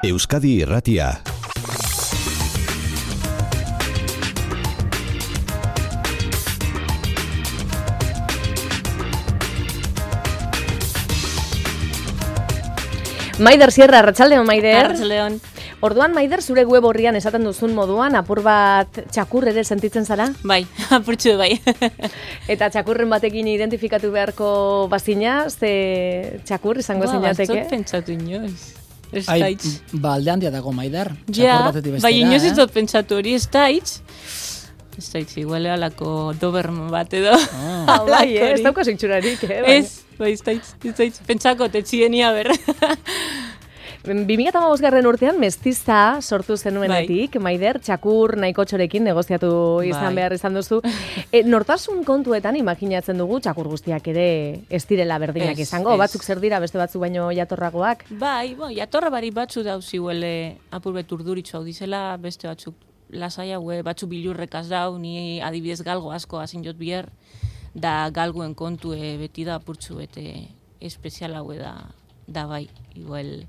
Euskadi Irratia. Maider Sierra, arratsaldeon Maider. Arratsaldeon. Orduan Maider, zure web orrian esaten duzun moduan apur bat txakur ere sentitzen zara? Bai, apurtxu bai. Eta txakurren batekin identifikatu beharko bazina, ze txakur izango zinateke? Ba, ez pentsatu inoiz. Ez Ai, daitz. ba, alde handia dago Maider. Ja, Txakur batetik bestera, bai, inoiz ez dut pentsatu hori, ez daitz. Ez daitz, igual alako Doberman bat edo. Bai, ez daukaz itxurarik, bai. Ez daitz, pentsako tetxienia ber. 2015 urtean mestiza sortu zenuenetik, Maider, txakur nahiko txorekin negoziatu izan behar izan duzu. Nortasun kontuetan imaginatzen dugu txakur guztiak ere ez direla berdinak izango. Batzuk zer dira, beste batzuk baino jatorragoak? Bai, jatorra bari batzu dauzi huele apurbet urduritxo hau dizela, beste batzuk lasai haue, batzuk bilurrekaz dau, ni adibidez galgo asko hazin jot bier, da galguen kontue beti da apurtzu bete espezial haue da bai, igual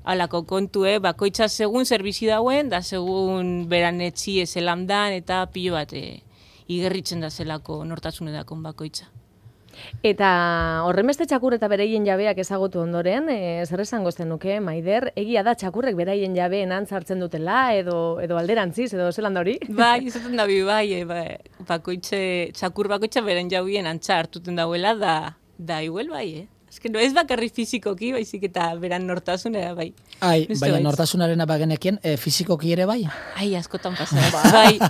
alako kontue, bakoitza segun zerbizi dauen, da segun beran etxi ezelan dan, eta pilo bat igerritzen da zelako nortasunedakon bakoitza. Eta horrenbeste txakur eta bereien jabeak ezagutu ondoren, zer esango zenuke, Maider, egia da txakurrek bereien jabeen antzartzen dutela, edo alderantziz, edo zelan da hori? Bai, izaten da txakur bakoitza beren jabien antza hartuten dauela, da igual bai, Ez no ez bakarri fizikoki, baizik eta beran nortasunera, bai. Baina nortasunarena bagenekien, fizikoki ere bai? Ai, askotan pasaz.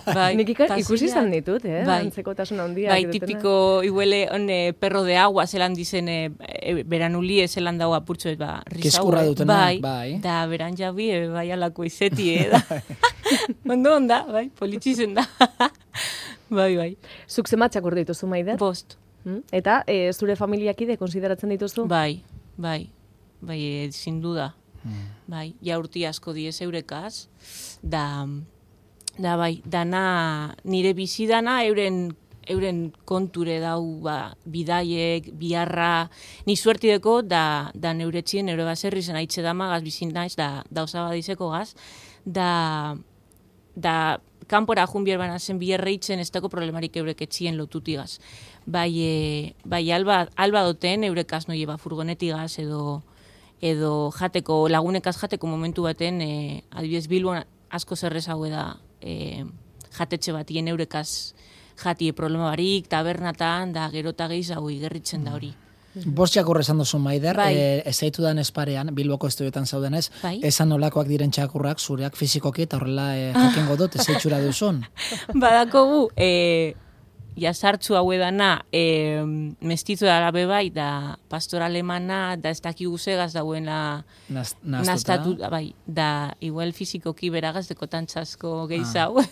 Bai. Nik ikusi izan ditut, antzekotasun handia. Bai, tipiko, iguele, perro de agua, zelan dizen, beran ulie, zelan dago apurtxoet, Kiskurra dutena, bai. Da, beran jabi, bai, alako izeti, Ondo onda, bai, politxizen da. Bai. Zuk zemat txakur dituzu, Maider? 5. Eta zure familiakide konsideratzen dituzu? Bai, sin duda. Bai, jaurti asko diez eurekaz, da bai, dana, nire bizi dana euren konture dau, bidaiek, biharra, ni suertideko, da neuretxien, eure baserri zen haitxe damagaz, bizin naiz, da osaba dizeko gaz, da kanpora junbier banazen bierreitzen ez dago problemarik eurek etxien lotutigaz. Bai, alba doten eurekaz noi furgonetigaz edo jateko, lagunekaz jateko momentu baten, adibidez Bilbon asko zerrez hau da jatetxe batien eurekaz jatie problema barik, tabernatan, da gerota gehiz hau igerritzen da hori. 5 txakur esan duzu, Maider, ez zaitu dan esparean, Bilboko estudioetan zaudenez, esan nolakoak diren txakurrak, zureak fizikoki, eta horrela jakingo dut, ez zaitxura duzun. Badakogu, jasartzu hau edana, mestizo da arabe bai, da pastor alemana, da ez daki guzegaz dauena naztatu, bai, da igual fizikoki beragaz dekotan txasko gehizau.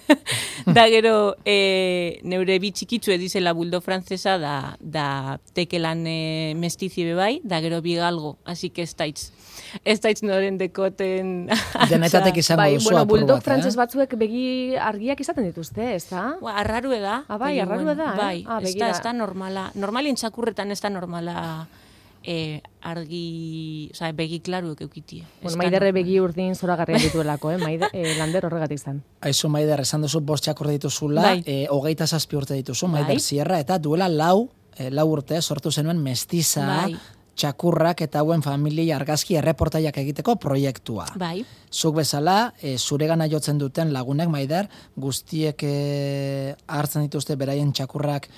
Da gero, neure bitxikitzu edizela buldo frantzesa, da tekelan mestizi bai, da gero bigalgo, así que ez daitz noren dekoten... Denetatek izango duzu apur bat, buldo frantzes batzuek begi argiak izaten dituzte, ez da? Arraru eda. Bai, arraru eda, Bai, ez da normala. Normalien txakurretan ez da normala argi, begi klaruek eukitie. Maiderre begi urdin zoragarria dituelako, Lander horregatik zen. Aizu, Maider, esan duzu 5 txakur dituzula, 27 urte dituzu, Maider Sierra, eta duela 4 urte sortu zenuen mestiza, txakurrak eta hauen familia argazki erreportaiak egiteko proiektua. Bai. Zuk bezala, zuregana jotzen duten lagunek, Maider, guztiek hartzen dituzte beraien txakurrak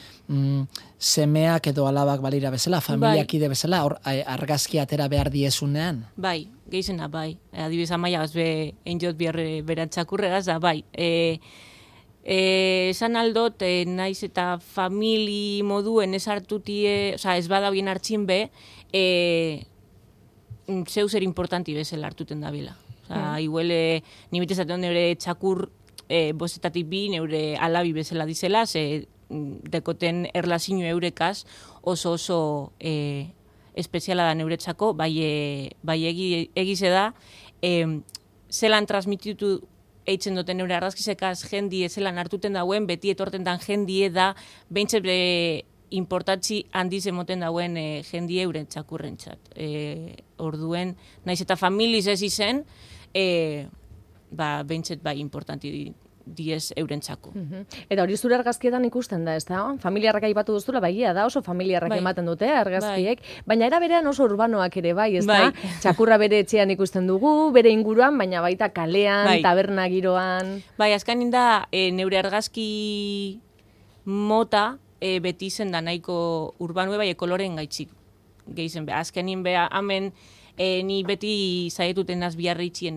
semeak edo alabak balira bezala, familiakide bezala, argazki atera behar diezunean? Bai, gehizena, bai. Adibidez amaia gazbe enjot beran txakurregaz da, bai. Esan aldot, naiz eta famili moduen ez hartutie, ez bada bien hartzin be, zeu zer importanti bezala hartuten da bila. Igual, ni betezaten neure txakur bostetatik bi, neure alabi bezala dizela, ze dekoten erlazinu eurekaz oso espeziala da neuretzako, bai egize da, zelan transmititu eitzen duten neure argazkizekaz jendie zelan hartuten dauen, beti etorten dan jendie da, behintzat importatzi handiz emoten dauen jendie euren txakurrentzat. Orduen, naiz eta familiz ez izen, behintzet bai importanti diez eurentzako. Eta hori zure argazkietan ikusten da, ez da? Familiarrak aipatu duzula, baigia da, oso familiarrak ematen dute argazkiek, baina era berean oso urbanoak ere bai, ez da? Txakurra bere etxean ikusten dugu, bere inguruan, baina baita kalean, taberna giroan. Bai, azkanin da, neure argazki mota beti zen da nahiko urbanue, bai, ekoloren gaitxik gehizen. Azkenin beha, hemen ni beti zaietuten azbiarritxien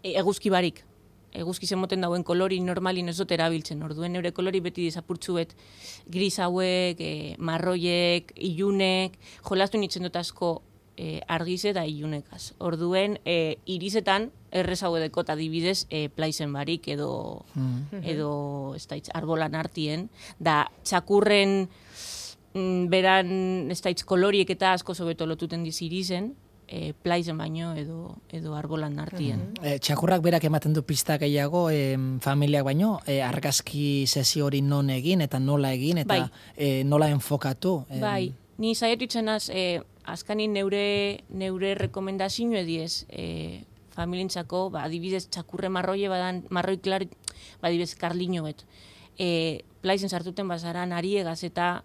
eguzki barik. Eguzki zemoten dauen kolori normalin ez dut erabiltzen. Orduen neure kolori beti dizapurtzuet gris hauek, marroiek, ilunek, jolastu nintzen dut asko argize da ilunekaz. Orduen irisetan errez hau edeko adibidez plaizen barik edo ez da arbolan artien. Da txakurren beran ez da koloriek eta asko sobeto lotuten diz irizen, plaizen baino edo arbolan artien. Txakurrak berak ematen du pista gehiago familiak baino, argazki sesio hori non egin eta nola egin eta nola enfokatu. Bai, ni zaiatu itzenaz, azkanin neure rekomendazio ediez familientzako, adibidez txakurre marroie badan, marroi klar, adibidez karliño bet. Plaizen sartuten bazaran ariegaz eta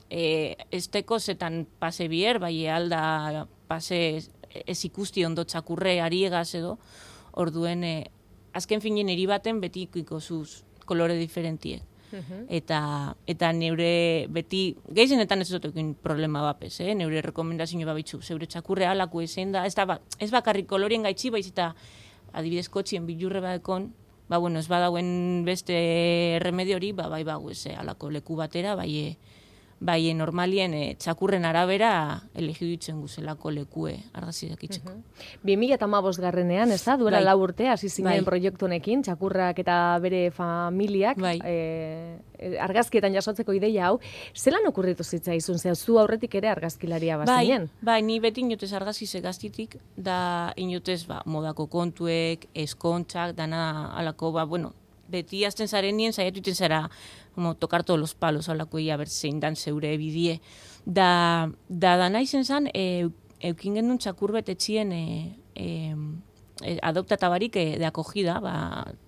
esteko zetan pase bier, bai alda pase ez ikusti ondo txakurre ariegaz edo, orduen azken finen eri baten beti ikuiko zuz kolore diferentiek. Eta neure beti, gehienetan ez dutekin problema bapes, neure rekomendazio babitzu, zeure txakurre alako ezen da, ez bakarrik kolorien gaitxi, baiz eta adibidez kotxien bilurre badekon, ez badauen beste remedio hori, bai bago ez alako leku batera, bai normalien txakurren arabera elegidutzen guzelako lekue argazidak itxeko. 2015 garrenean, ez da? Duela 4 urte, hasi zinen proiektu honekin, txakurrak eta bere familiak, argazkietan jasotzeko ideia hau, zelan okurritu zitzaizun, zu aurretik ere argazkilaria bazinen? Bai, ni beti inotez argazkize gaztitik, da inotez modako kontuek, eskontxak, dana alako, beti azten zaren nien, zaiatu iten zara tocar todos los palos, alako ia bertzein dan zeure bidie. Da naizen zan, eukin gendun txakur betetxien adoptatabarik de akogida,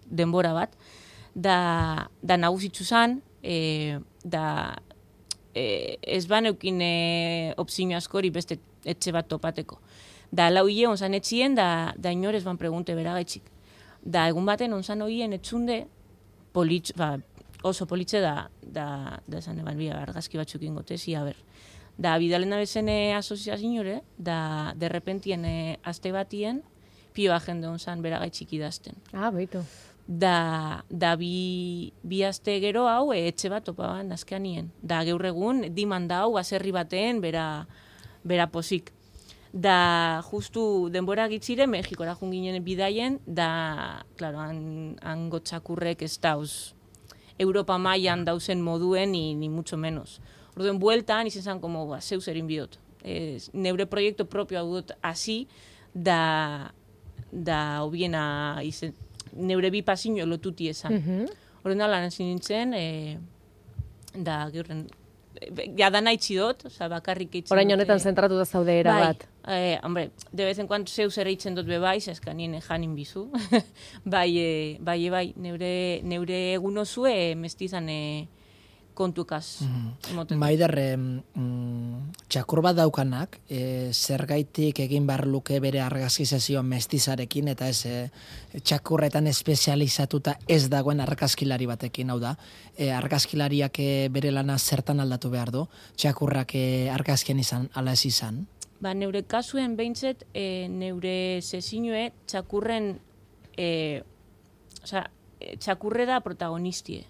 denbora bat, da nagusitzu zan, da ez ban eukin opzio askori beste etxe bat topateko. Da lau hile onzan etxien, da inorez ban pregunte beragaitxik. Da egun baten onzan hoien etxunde, oso politxe da esan eban argazki batzuk ingotezi, Da bidalen abezen asoziazioare, da derrepentien aste batien, pioa jende onzan beragaitxik idazten. Beitu. Da bi aste gero hau etxe bat topaban azkean nien. Da gaur egun diman da hau baserri baten bera posik. Da justu denbora gitzire Mexikora junginen bidaien, da, klaro, hango txakurrek ez dauz Europa mailan dauzen moduen ni mucho menos. Orduen bueltan izen zan como zeu zerin bidot. Neure proiektu propio hau dut hasi, da hobiena izen, neure bi pasiño lotuti esan. Orduen lan hasi nintzen, da geurren, da nahi dut, bakarrik eitzen. Orain honetan zentratu da zaude era bat. Hombre, de vez en cuando zeu zer eitzen dut bebaiz, eskanien janin bizu. bai, neure egun osue mestizan kontukaz. Maider, txakur bat daukanak, zergaitik egin behar luke bere argazki sesio mestizarekin, eta ez txakurretan espezializatuta ez dagoen argazkilari batekin, hau da. Argazkilariak bere lana zertan aldatu behar du, txakurrak argazkien izan, ala ez izan? Neure kasuen behintzet, neure sesinue txakurren, txakurre da protagonistie.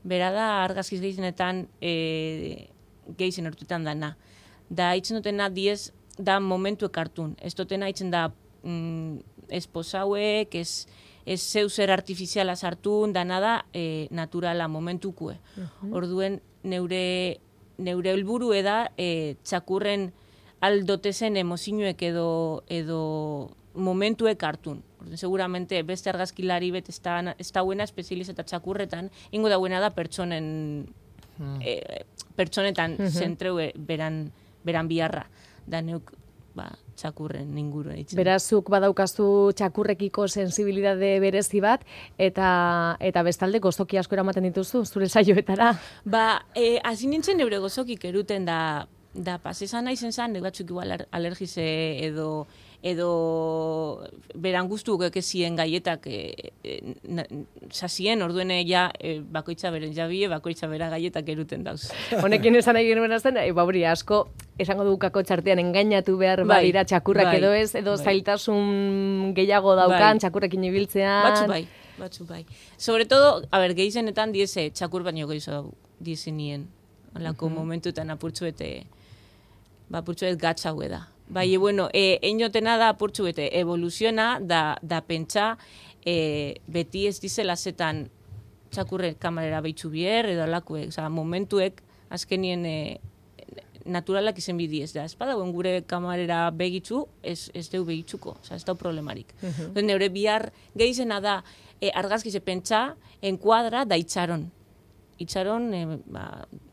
Bera da argazkiz gehienetan gehien ertuetan dana. Da hitzen dutena diez da momentuek hartun. Ez dutena hitzen da esposauek, ez zeu zer artifiziala sartun, dana da naturala momentukue. Orduen neure helburu da txakurren aldotezen emozioek edo momentuek hartun. Seguramente beste argazkilari bet ez dauena espezializata txakurretan, ingo dauena da pertsonetan zentreu beran biharra. Da neuk txakurren inguruen itzen. Berazuk badaukazu txakurrekiko sensibilidade berezi bat, eta bestalde gozoki asko eramaten dituzu, zure saioetara. Hasi nintzen neure gozokik eruten da pasezan nahi zen, batzuk igual alergize edo beran guztu ekezien gaietak sasien, orduen bakoitza beren jabie, bakoitza bera gaietak eruten dauz. Honekin esan nahi genuen azten, hori asko, esango dukako txartean engainatu behar badira txakurrak edo ez, edo zailtasun gehiago daukan txakurrekin ibiltzean. Batzu bai. Sobre todo, gehizenetan diese txakur baino gehiago diese nien. Olako momentuetan apurtzuete gatsa hau da. Bai, bueno, einotena da apurtzuete evoluziona da pentsa beti ez dizela zetan txakurre kamarera behitzu bier, edo alakuek, momentuek azkenien naturalak izen bidiez da. Ez badauen gure kamarera begitzu, ez deu begitzuko, ez da problemarik. Neure bihar gehizena da argazkize pentsa, enkuadra da itxaron. Itxaron,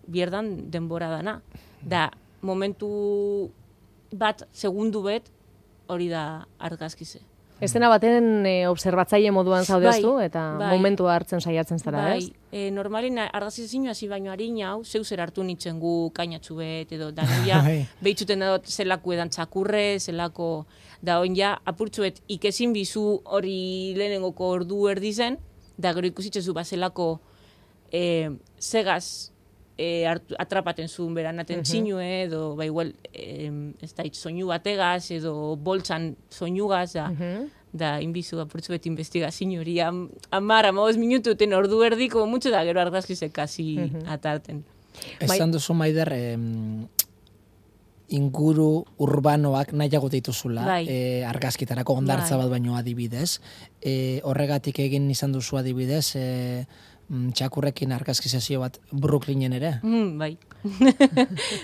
bierdan denbora dana. Da, momentu bat, segundu bet, hori da argazkize. Estena baten observatzaile moduan zaudeztu, eta momentua hartzen saiatzen zara, ez? Normalin argazkize zinu hasi baino harin hau, zeu zer hartu nintzen gu kainatxu bet, edo danoia, behitzuten dut zelako edan txakurre, zelako, da oin ja, apurtzuet ikesin bizu hori lehenengoko ordu erdi zen, da gero ikusitzezu zelako segaz atrapaten zuen beranaten txinue, edo, igual, ez da, soinu bategaz, edo boltsan soinugaz, da, inbizu apurtzu beti investigazio hori, 10-15 minututen ordu erdiko, mucho da, gero argazkizek kasi atarten. Esan duzu, Maider, inguru urbanoak nahiago dituzula, argazkitarako ondartza bat baino adibidez. Horregatik egin izan duzu adibidez, txakurrekin argazkizazio bat Brooklynen ere? Bai.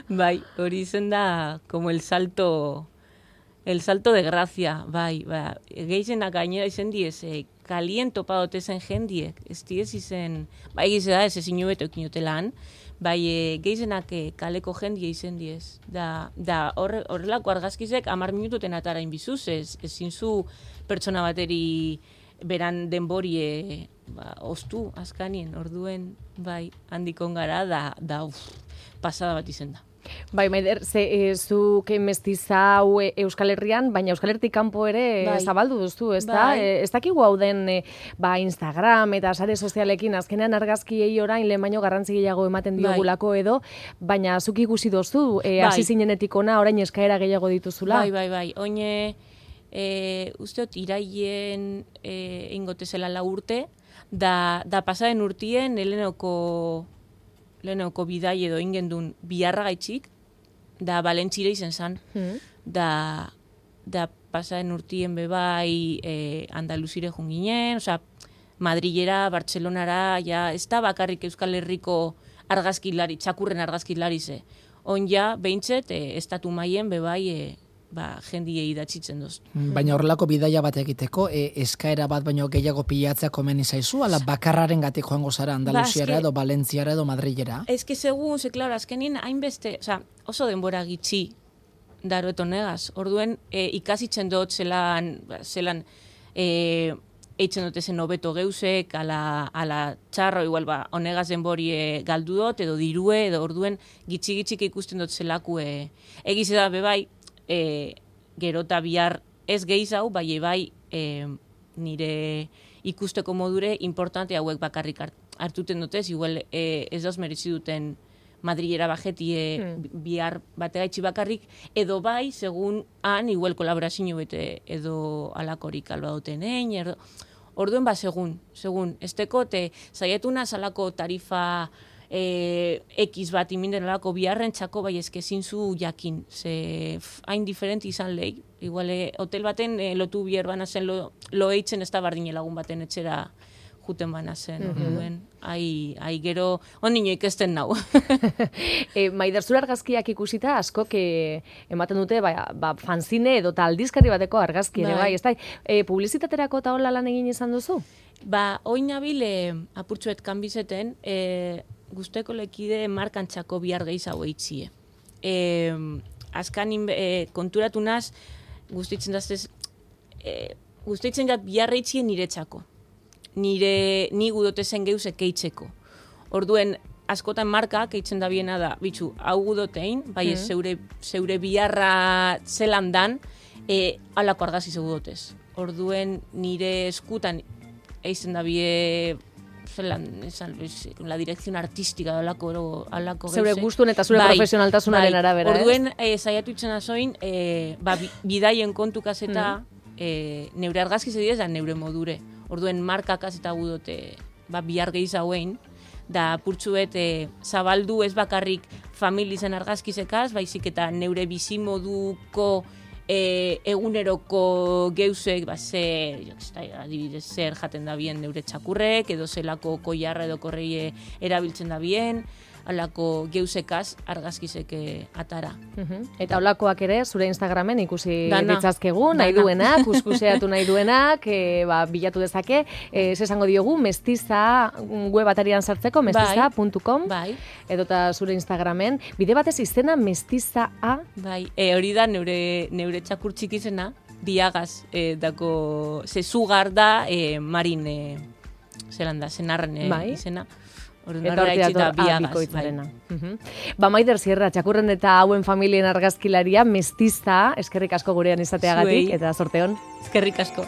Bai, hori izen da, como el salto de gracia, bai. Geizenak gainera izen diez, kalien topadote zen jendiek, ez diez izen, bai gize da, ez ezin beto ekinotelan, bai geizenak kaleko jendia izen diez. Da horrelako argazkizek 10 minututen atara inbizuz, ezin zu pertsona bateri beran denborie ostu azkanien, orduen, bai, handikon gara, da pasada bat izen da. Bai, Maider, zuk mestizau Euskal Herrian, baina Euskal Herritik kanpo ere zabaldu duztu, ez da? Ez dakigu hau den Instagram eta sare sozialekin azkenean argazkiei orain lehen baino garrantzi gehiago ematen diogulako edo, baina zuk ikusi dozu, hasi zinenetik ona orain eskaera gehiago dituzula? Bai. Oine, usteot, iraien ingotezela 4 urte, da pasaren urtien lehenoko bidai edo ingendun biharra gaitxik, da Valentzire izen zan, da pasaren urtien bebai Andaluzire junginen, Madrilera, Bartzelonara, ez da bakarrik Euskal Herriko argazkilari, txakurren argazkilari ze. On ja, behintzet, estatu maien bebai jendiei datzitzen doz. Baina horrelako bidaia bat egiteko, eskaera bat baino gehiago pilatzea komeni zaizu, ala bakarraren gatik joango zara Andaluziara edo Valentziara edo Madrilera? Ez que segun, klaro, azkenin hainbeste, oso denbora gitxi daroeto negaz. Orduen, ikasitzen dut zelan eitzen dut ezen hobeto geusek, ala txarro, igual, honegaz denbori galdu dut, edo dirue, edo orduen gitxik ikusten dut zelaku egize da, bebai, gerota bihar ez gehizau, bai nire ikusteko modure importante hauek bakarrik hartuten dutez, igual ez dauz merezi duten Madrilera bajetie bihar bategaitxi bakarrik, edo bai, segun han, igual kolaborazio bete edo alakorik alba duten egin, orduen segun, ez tekote, zaietuna salako tarifa X bat iminden alako biharren txako, bai ezkezin zu jakin, ze hain diferenti izan lehi, igual hotel baten lotu bihar bana zen lo eitzen ez da bardine lagun baten etxera juten bana zen, orduen, gero ondino ikesten nau. Maider, zure argazkiak ikusita askok ematen dute fanzine edo aldizkari bateko argazki ere, bai, ez da, publizitaterako eta hola lan egin izan duzu? Oin nabil apurtxuet kanbizeten, guzteko lekide markantxako bihar gehizago eitzie. askan konturatu naz, guztitzen daztez, guztitzen jat biarreitzien niretzako. Ni gudotezen geuz ekeitzeko. Orduen, askotan marka, keitzen da biena da, bitxu, hau gudotein, bai ez zeure biarra zelan dan, alako argazi zeu dotez. Orduen, nire eskutan, eizen da bie, zelan, la dirección artística alako zeure gustun eta zure profesionaltasunaren arabera. Orduen, saiatu itzen azoin, bidaien kontukaz eta neure argazki zedidez da neure modure. Orduen, markakaz eta gudote, bihar gehiz hauen, da purtsuet zabaldu ez bakarrik familizen argazkizekaz, baizik eta neure bizimoduko eguneroko geuzek, adibidez zer jaten da bien neure txakurrek, edo zelako koiarra edo korreie erabiltzen da bien, alako geuzekaz argazkizeke atara. Eta olakoak ere, zure Instagramen ikusi ditzazkegu, nahi duenak, kuskuseatu nahi duenak, bilatu dezake, esango diogu, mestiza web atarian sartzeko, mestiza.com, edota zure Instagramen, bide batez izena mestiza.a. Hori da neure txakur txikizena, diagaz, dako, zezugar da, marin, zelan da, zenarren izena. Eta hortia bikoitzarena. Maider Sierra, txakurren eta hauen familien argazkilaria, mestiza, eskerrik asko gurean izateagatik, eta sorteon. Eskerrik asko.